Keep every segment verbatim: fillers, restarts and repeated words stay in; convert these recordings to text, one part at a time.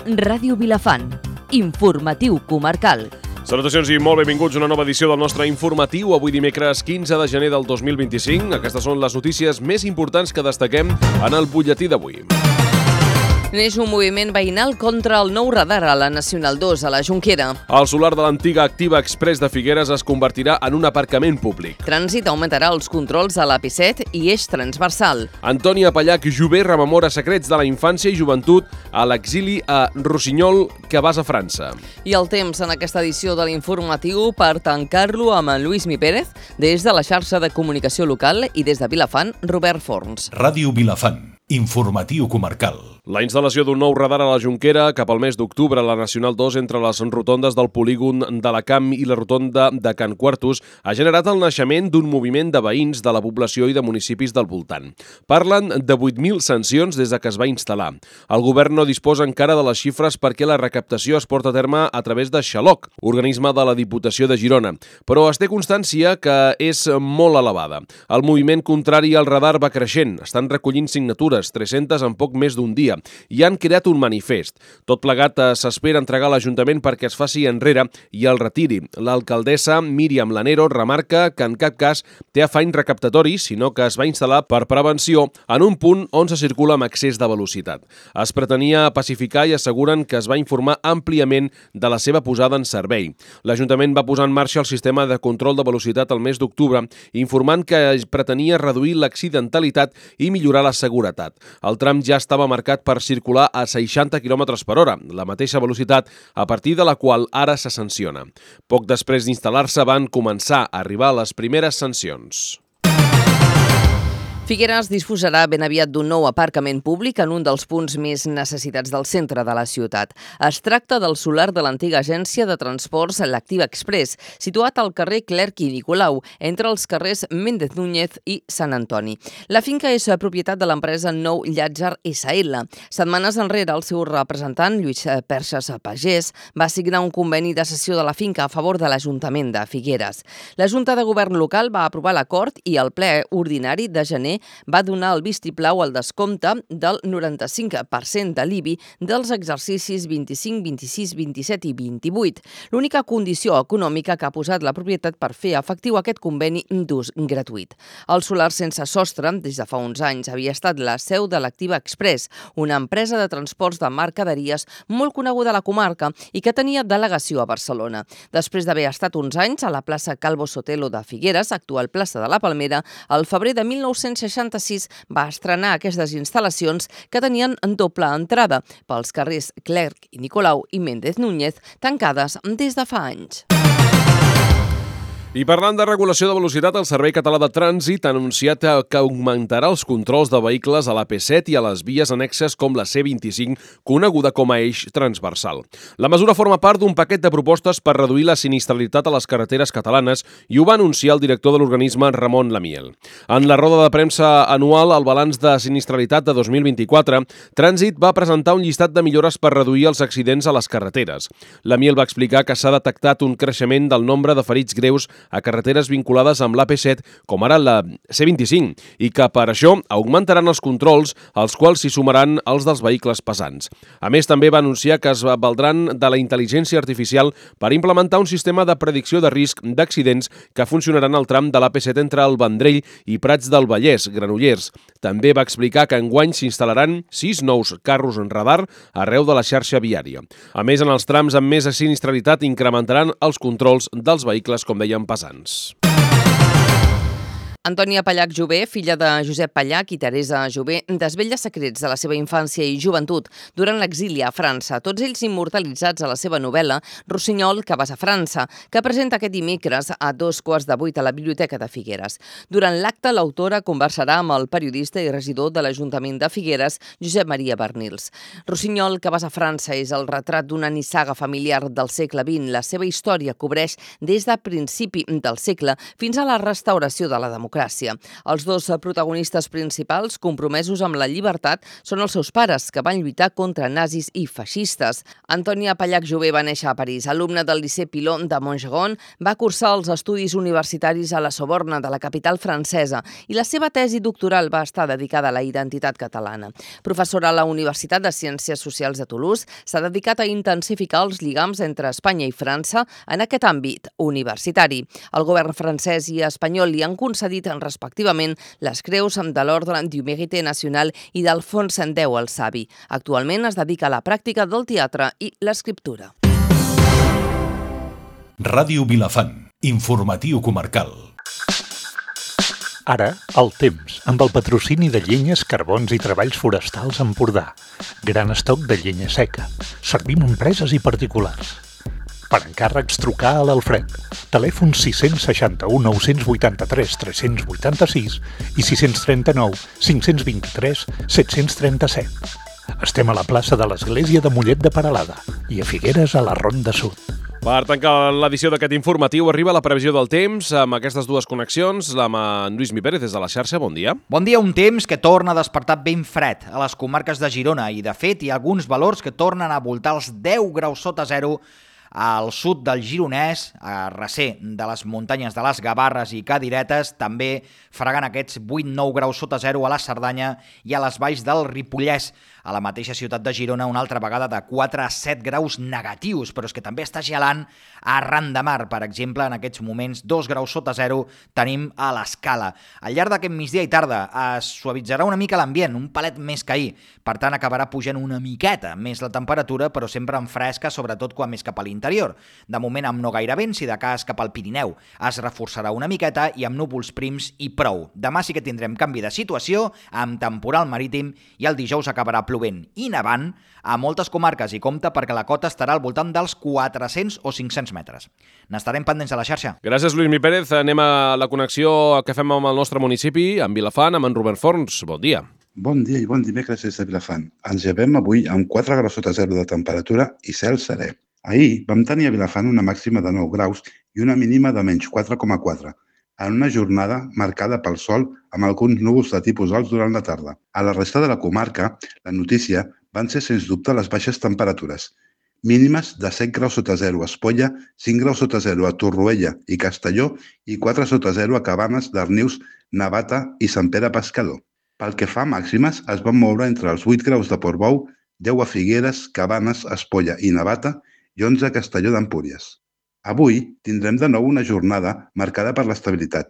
Ràdio Vilafant. Informatiu comarcal. Salutacions i molt benvinguts a una nova edició del nostre informatiu, avui dimecres quinze de gener del dos mil vint-i-cinc. Aquestes són les notícies més importants que destaquem en el butlletí d'avui. Neix un moviment veïnal contra el nou radar a la Nacional dos a la Jonquera. El solar de l'antiga Activa Express de Figueres es convertirà en un aparcament públic. Trànsit augmentarà els controls a l'A P set i eix transversal. Antònia Pallac Jové rememora secrets de la infància i joventut a l'exili a Rossinyol, que vas a França. I el temps en aquesta edició de l'informatiu per tancar-lo amb en Lluís Mi Pérez des de la xarxa de comunicació local i des de Vilafant, Robert Forns. Ràdio Vilafant. Informatiu comarcal. La instal·lació d'un nou radar a la Jonquera cap al mes d'octubre a la Nacional dos entre les rotondes del polígon de la Camp i la rotonda de Can Quartos ha generat el naixement d'un moviment de veïns de la població i de municipis del voltant. Parlen de vuit mil sancions des de que es va instal·lar. El govern no disposa encara de les xifres perquè la recaptació es porta a terme a través de Xaloc, organisme de la Diputació de Girona, però es té constància que és molt elevada. El moviment contrari al radar va creixent, estan recollint signatures, tres-centes en poc més d'un dia, i han creat un manifest. Tot plegat s'espera entregar a l'Ajuntament perquè es faci enrere i el retiri. L'alcaldessa Míriam Lanero remarca que en cap cas té afany recaptatori, sinó que es va instal·lar per prevenció en un punt on se circula amb excés de velocitat. Es pretenia pacificar i asseguren que es va informar àmpliament de la seva posada en servei. L'Ajuntament va posar en marxa el sistema de control de velocitat al mes d'octubre, informant que pretenia reduir l'accidentalitat i millorar la seguretat. El tram ja estava marcat per circular a seixanta quilòmetres per hora, la mateixa velocitat a partir de la qual ara se sanciona. Poc després d'instal·lar-se van començar a arribar les primeres sancions. Figueres disposarà ben aviat d'un nou aparcament públic en un dels punts més necessitats del centre de la ciutat. Es tracta del solar de l'antiga agència de transports l'Activa Express, situat al carrer Clerc i Nicolau, entre els carrers Méndez Núñez i Sant Antoni. La finca és propietat de l'empresa Nou Llàtzer S L. Setmanes enrere, el seu representant, Lluís Perxes Pagès, va signar un conveni de cessió de la finca a favor de l'Ajuntament de Figueres. La Junta de Govern local va aprovar l'acord i el ple ordinari de gener va donar el vistiplau al descompte del noranta-cinc per cent de l'I B I dels exercicis vint-i-cinc, vint-i-sis, vint-i-set i vint-i-vuit. L'única condició econòmica que ha posat la propietat per fer efectiu aquest conveni d'ús gratuït. El solar sense sostre, des de fa uns anys, havia estat la seu de l'Activa Express, una empresa de transports de mercaderies molt coneguda a la comarca i que tenia delegació a Barcelona. Després d'haver estat uns anys a la plaça Calvo Sotelo de Figueres, actual plaça de la Palmera, al febrer de mil nou-cents seixanta-sis va estrenar aquestes instal·lacions que tenien doble entrada pels carrers Clerc i Nicolau i Méndez Núñez, tancades des de fa anys. I parlant de regulació de velocitat, el Servei Català de Trànsit ha anunciat que augmentarà els controls de vehicles a l'A P set i a les vies annexes com la C vint-i-cinc, coneguda com a eix transversal. La mesura forma part d'un paquet de propostes per reduir la sinistralitat a les carreteres catalanes i ho va anunciar el director de l'organisme, Ramon Lamiel. En la roda de premsa anual, el balanç de sinistralitat de dos mil vint-i-quatre, Trànsit va presentar un llistat de millores per reduir els accidents a les carreteres. Lamiel va explicar que s'ha detectat un creixement del nombre de ferits greus a carreteres vinculades amb l'A P set, com ara la C vint-i-cinc, i que per això augmentaran els controls, als quals s'hi sumaran els dels vehicles pesants. A més, també va anunciar que es valdran de la intel·ligència artificial per implementar un sistema de predicció de risc d'accidents que funcionaran al tram de l'A P set entre el Vendrell i Prats del Vallès, Granollers. També va explicar que enguany s'instal·laran sis nous carros en radar arreu de la xarxa viària. A més, en els trams amb més sinistralitat incrementaran els controls dels vehicles, com dèiem, pesants. Antònia Pallac Jové, filla de Josep Pallac i Teresa Jové, desvetlla secrets de la seva infància i joventut durant l'exili a França, tots ells immortalitzats a la seva novel·la Rossinyol, que vas a França, que presenta aquest dimecres a dos quarts de vuit a la Biblioteca de Figueres. Durant l'acte, l'autora conversarà amb el periodista i regidor de l'Ajuntament de Figueres, Josep Maria Bernils. Rossinyol, que vas a França, és el retrat d'una nissaga familiar del segle vint. La seva història cobreix des de principi del segle fins a la restauració de la democràcia. democràcia. Els dos protagonistes principals, compromesos amb la llibertat, són els seus pares, que van lluitar contra nazis i feixistes. Antònia Pallach-Jové va néixer a París. Alumna del Liceu Pilon de Montgeron, va cursar els estudis universitaris a la Sorbona de la capital francesa i la seva tesi doctoral va estar dedicada a la identitat catalana. Professora a la Universitat de Ciències Socials de Toulouse, s'ha dedicat a intensificar els lligams entre Espanya i França en aquest àmbit universitari. El govern francès i espanyol li han concedit respectivament les creus de l'Ordre du Mérite National i d'Alfons X el Savi. Actualment es dedica a la pràctica del teatre i l'escriptura. Ràdio Vilafant, informatiu comarcal. Ara, el temps, amb el patrocini de Llenyes, Carbons i Treballs Forestals Empordà. Gran estoc de llenya seca. Servim empreses i particulars. Per encàrrecs, trucar a l'Alfred. Telèfon sis seixanta u nou vuitanta-tres tres vuitanta-sis i sis trenta-nou cinc vint-i-tres set trenta-set. Estem a la plaça de l'Església de Mollet de Peralada i a Figueres, a la Ronda Sud. Per tancar l'edició d'aquest informatiu arriba la previsió del temps amb aquestes dues connexions, amb en Lluís Mi Pérez des de la xarxa. Bon dia. Bon dia, un temps que torna a despertar ben fred a les comarques de Girona i, de fet, hi ha alguns valors que tornen a voltar els deu graus sota zero al sud del Gironès, a recer de les muntanyes de les Gavarres i Cadiretes, també fregant aquests vuit nou graus sota zero a la Cerdanya i a les valls del Ripollès. A la mateixa ciutat de Girona, una altra vegada de quatre a set graus negatius, però és que també està gelant arran de mar. Per exemple, en aquests moments, dos graus sota zero tenim a l'Escala. Al llarg d'aquest migdia i tarda es suavitzarà una mica l'ambient, un palet més que ahir. Per tant, acabarà pujant una miqueta més la temperatura, però sempre en fresca, sobretot quan més cap a l'interior. De moment, amb no gaire vent, si de cas cap al Pirineu es reforçarà una miqueta i amb núvols prims i prou. Demà sí que tindrem canvi de situació, amb temporal marítim, i el dijous acabarà plovent i nevant a moltes comarques, i compte perquè la cota estarà al voltant dels quatre-cents o cinc-cents metres. N'estarem pendents a la xarxa. Gràcies, Lluís Mi Pérez. Anem a la connexió que fem amb el nostre municipi, amb Vilafant, amb en Robert Forns. Bon dia. Bon dia i bon dimecres des de Vilafant. Ens llevem avui amb quatre graus sota zero de temperatura i cel serè. Ahir vam tenir a Vilafant una màxima de nou graus i una mínima de menys quatre coma quatre. En una jornada marcada pel sol amb alguns núvols de tipus alts durant la tarda. A la resta de la comarca, la notícia van ser sens dubte les baixes temperatures. Mínimes de set graus sota zero a Espolla, cinc graus sota zero a Torroella i Castelló i quatre sota zero a Cabanes, Darnius, Navata i Sant Pere Pescador. Pel que fa a màximes, es van moure entre els vuit graus de Portbou, deu a Figueres, Cabanes, Espolla i Navata i onze a Castelló d'Empúries. Avui tindrem de nou una jornada marcada per l'estabilitat.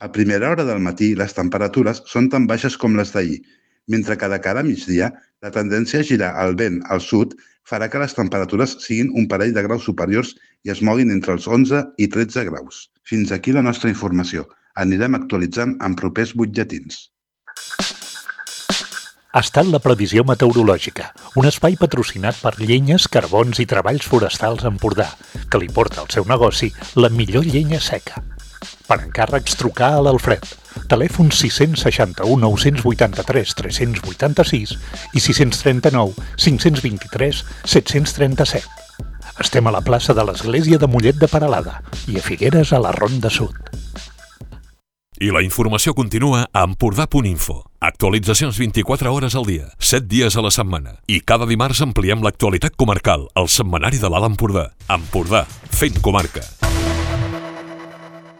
A primera hora del matí les temperatures són tan baixes com les d'ahir, mentre que de cara a migdia la tendència a girar el vent al sud farà que les temperatures siguin un parell de graus superiors i es moguin entre els onze i tretze graus. Fins aquí la nostra informació. Anirem actualitzant en propers butlletins. Ha estat la previsió meteorològica, un espai patrocinat per Llenyes, Carbons i Treballs Forestals Empordà, que li porta al seu negoci la millor llenya seca. Per encàrrecs, trucar a l'Alfred. Telèfon sis seixanta u nou vuitanta-tres tres vuitanta-sis i sis trenta-nou cinc vint-i-tres set trenta-set. Estem a la plaça de l'Església de Mollet de Peralada i a Figueres, a la Ronda Sud. I la informació continua a empordà punt info. Actualitzacions vint-i-quatre hores al dia, set dies a la setmana. I cada dimarts ampliem l'actualitat comarcal, al setmanari de l'Alt Empordà. Empordà, fent comarca.